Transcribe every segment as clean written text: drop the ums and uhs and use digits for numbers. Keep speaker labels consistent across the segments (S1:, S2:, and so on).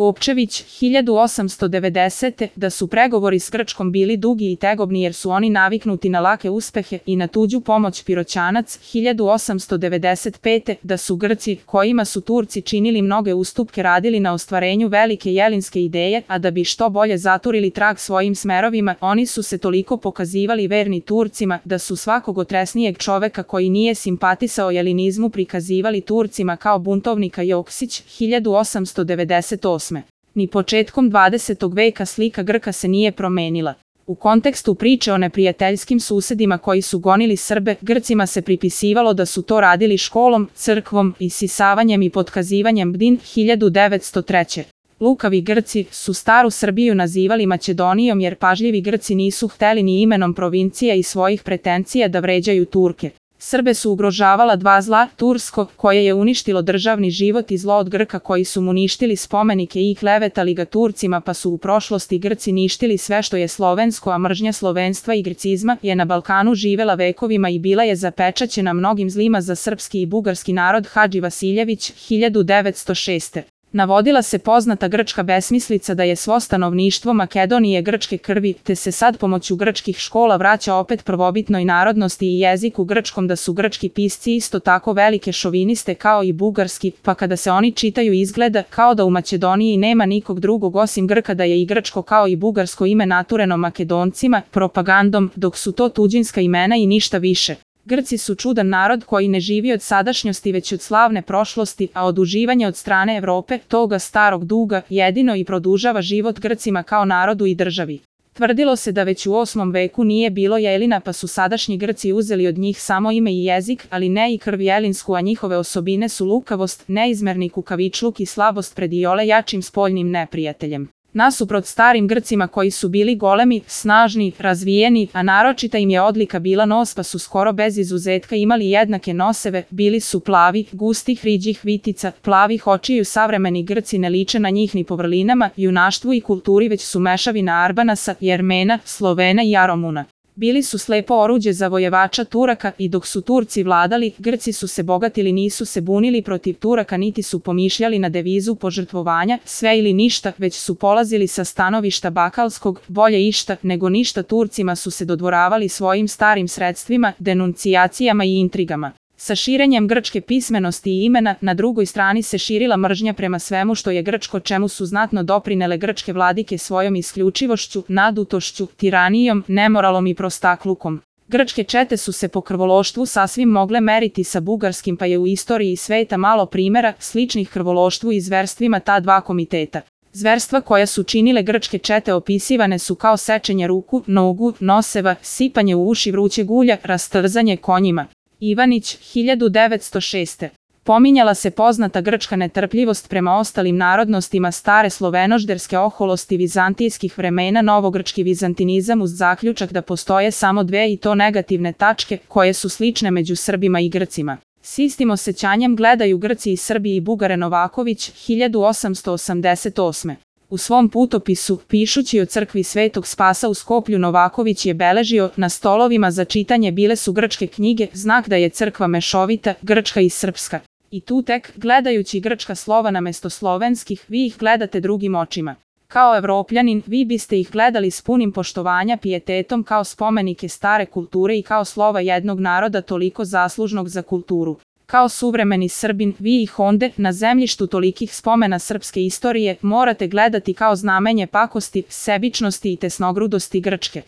S1: Gopčević, 1890. Da su pregovori s Grčkom bili dugi i tegobni jer su oni naviknuti na lake uspehe i na tuđu pomoć. Piroćanac, 1895. Da su Grci, kojima su Turci činili mnoge ustupke, radili na ostvarenju velike jelinske ideje, a da bi što bolje zaturili trag svojim smerovima, oni su se toliko pokazivali verni Turcima, da su svakog otresnijeg čoveka koji nije simpatisao jelinizmu prikazivali Turcima kao buntovnika. Joksić, 1898. Ni početkom 20. veka slika Grka se nije promenila. U kontekstu priče o neprijateljskim susedima koji su gonili Srbe, Grcima se pripisivalo da su to radili školom, crkvom, isisavanjem i potkazivanjem. Bdin, 1903. Lukavi Grci su staru Srbiju nazivali Makedonijom jer pažljivi Grci nisu hteli ni imenom provincija i svojih pretencija da vređaju Turke. Srbe su ugrožavala dva zla, tursko, koje je uništilo državni život, i zlo od Grka koji su mu ništili spomenike i klevetali ga Turcima, pa su u prošlosti Grci ništili sve što je slovensko, a mržnja slovenstva i grcizma je na Balkanu živela vekovima i bila je zapečaćena mnogim zlima za srpski i bugarski narod. Hadži Vasiljević, 1906. Navodila se poznata grčka besmislica da je svo stanovništvo Makedonije grčke krvi, te se sad pomoću grčkih škola vraća opet prvobitnoj narodnosti i jeziku grčkom, da su grčki pisci isto tako velike šoviniste kao i bugarski, pa kada se oni čitaju izgleda kao da u Makedoniji nema nikog drugog osim Grka, da je i grčko kao i bugarsko ime natureno Makedoncima, propagandom, dok su to tuđinska imena i ništa više. Grci su čudan narod koji ne živi od sadašnjosti već od slavne prošlosti, a oduživanje od strane Evrope, toga starog duga, jedino i produžava život Grcima kao narodu i državi. Tvrdilo se da već u 8. veku nije bilo jelina, pa su sadašnji Grci uzeli od njih samo ime i jezik, ali ne i krv jelinsku, a njihove osobine su lukavost, neizmerni kukavičluk i slabost pred iole jačim spoljnim neprijateljem. Nasuprot starim Grcima koji su bili golemi, snažni, razvijeni, a naročita im je odlika bila nos, pa su skoro bez izuzetka imali jednake noseve, bili su plavi, gustih riđih vitica, plavih očiju. Savremeni Grci ne liče na njih ni po vrlinama, junaštvu i kulturi, već su mešavina Arbanasa, Jermena, Slovena i Aromuna. Bili su slepo oruđe zavojevača Turaka i dok su Turci vladali, Grci su se bogatili, nisu se bunili protiv Turaka niti su pomišljali na devizu požrtvovanja, sve ili ništa, već su polazili sa stanovišta bakalskog, bolje išta nego ništa. Turcima su se dodvoravali svojim starim sredstvima, denuncijacijama i intrigama. Sa širenjem grčke pismenosti i imena, na drugoj strani se širila mržnja prema svemu što je grčko, čemu su znatno doprinele grčke vladike svojom isključivošću, nadutošću, tiranijom, nemoralom i prostaklukom. Grčke čete su se po krvološtvu sasvim mogle meriti sa bugarskim, pa je u istoriji sveta malo primjera sličnih krvološtvu i zverstvima ta dva komiteta. Zverstva koja su činile grčke čete opisivane su kao sečenje ruku, nogu, noseva, sipanje u uši vrućeg ulja, rastrzanje konjima. Ivanić, 1906. Pominjala se poznata grčka netrpljivost prema ostalim narodnostima stare slovenožderske oholosti vizantijskih vremena, novogrčki vizantinizam uz zaključak da postoje samo dve i to negativne tačke koje su slične među Srbima i Grcima. S istim osjećanjem gledaju Grci i Srbi i Bugare. Novaković, 1888. U svom putopisu, pišući o crkvi Svetog Spasa u Skoplju, Novaković je beležio: na stolovima za čitanje bile su grčke knjige, znak da je crkva mešovita, grčka i srpska. I tu tek, gledajući grčka slova namesto slovenskih, vi ih gledate drugim očima. Kao Evropljanin, vi biste ih gledali s punim poštovanja, pijetetom, kao spomenike stare kulture i kao slova jednog naroda toliko zaslužnog za kulturu. Kao suvremeni Srbin, vi ih onde, na zemljištu tolikih spomena srpske istorije, morate gledati kao znamenje pakosti, sebičnosti i tesnogrudosti Grčke.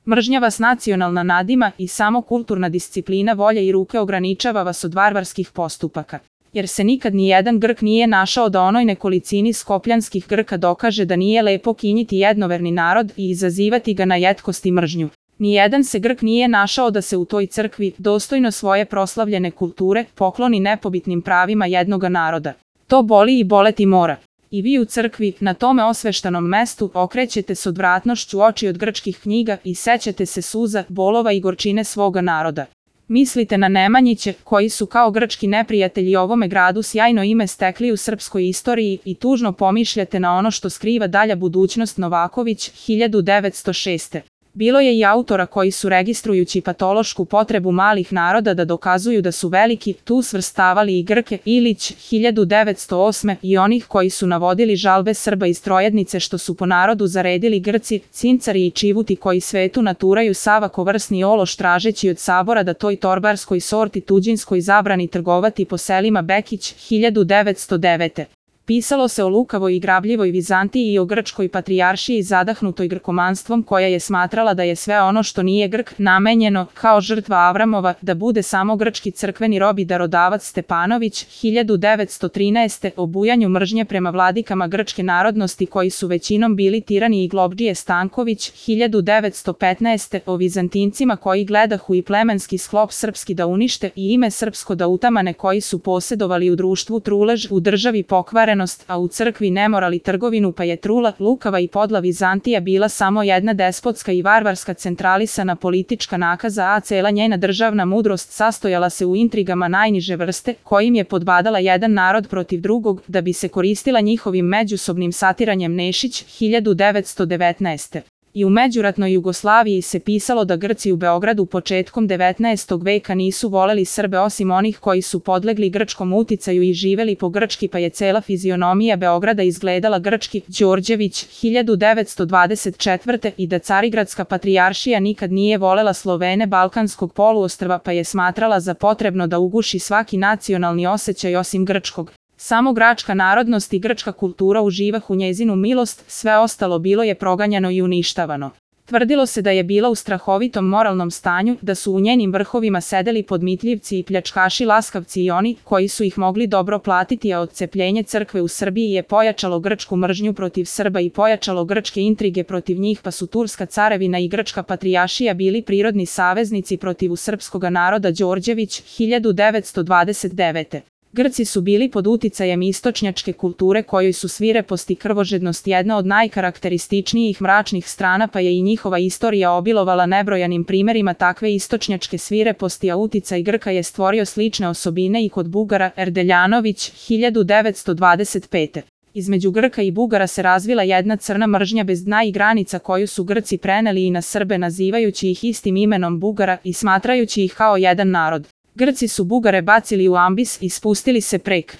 S1: Mržnja vas nacionalna nadima i samo kulturna disciplina volje i ruke ograničava vas od varvarskih postupaka. Jer se nikad ni jedan Grk nije našao da onoj nekolicini skopljanskih Grka dokaže da nije lepo kinjiti jednoverni narod i izazivati ga na jetkost i mržnju. Nijedan se Grk nije našao da se u toj crkvi, dostojno svoje proslavljene kulture, pokloni nepobitnim pravima jednoga naroda. To boli i boleti mora. I vi u crkvi, na tome osveštanom mestu, okrećete s odvratnošću oči od grčkih knjiga i sećate se suza, bolova i gorčine svoga naroda. Mislite na Nemanjiće, koji su kao grčki neprijatelji ovome gradu sjajno ime stekli u srpskoj istoriji, i tužno pomišljate na ono što skriva dalja budućnost. Novaković, 1906. Bilo je i autora koji su registrujući patološku potrebu malih naroda da dokazuju da su veliki, tu svrstavali i Grke, Ilić, 1908. i onih koji su navodili žalbe Srba iz Trojednice što su po narodu zaredili Grci, Cincari i Čivuti koji svetu naturaju savako-vrsni ološ tražeći od sabora da toj torbarskoj sorti tuđinskoj zabrani trgovati po selima Bekić, 1909. Pisalo se o lukavoj i grabljivoj Vizantiji i o grčkoj patrijaršiji zadahnutoj grkomanstvom koja je smatrala da je sve ono što nije Grk namenjeno, kao žrtva Avramova, da bude samo grčki crkveni rob i darodavac Stepanović, 1913. o bujanju mržnje prema vladikama grčke narodnosti koji su većinom bili tirani i globdžije Stanković, 1915. o Vizantincima koji gledahu i plemenski sklop srpski da unište i ime srpsko da utamane koji su posedovali u društvu trulež, u državi pokvaren, a u crkvi nemoral i trgovinu pa je trula, lukava i podla Vizantija bila samo jedna despotska i varvarska centralisana politička nakaza, a cela njena državna mudrost sastojala se u intrigama najniže vrste, kojim je podbadala jedan narod protiv drugog, da bi se koristila njihovim međusobnim satiranjem. Nešić, 1919. I u međuratnoj Jugoslaviji se pisalo da Grci u Beogradu početkom 19. veka nisu voleli Srbe osim onih koji su podlegli grčkom uticaju i živeli po grčki pa je cela fizionomija Beograda izgledala grčki. Đorđević, 1924. i da Carigradska patrijaršija nikad nije volela Slovene Balkanskog poluostrva pa je smatrala za potrebno da uguši svaki nacionalni osjećaj osim grčkog. Samo gračka narodnost i grčka kultura uživahu njezinu milost, sve ostalo bilo je proganjano i uništavano. Tvrdilo se da je bila u strahovitom moralnom stanju, da su u njenim vrhovima sedeli podmitljivci i pljačkaši laskavci i oni koji su ih mogli dobro platiti, a odcepljenje crkve u Srbiji je pojačalo grčku mržnju protiv Srba i pojačalo grčke intrige protiv njih pa su Turska carevina i grčka patrijaršija bili prirodni saveznici protiv srpskoga naroda. Đorđević, 1929. Grci su bili pod uticajem istočnjačke kulture kojoj su svirepost i krvožednost jedna od najkarakterističnijih mračnih strana pa je i njihova istorija obilovala nebrojanim primerima takve istočnjačke svireposti, a uticaj Grka je stvorio slične osobine i kod Bugara. Erdeljanović, 1925. Između Grka i Bugara se razvila jedna crna mržnja bez dna i granica koju su Grci preneli i na Srbe nazivajući ih istim imenom Bugara i smatrajući ih kao jedan narod. Grci su Bugare bacili u ambis i spustili se prek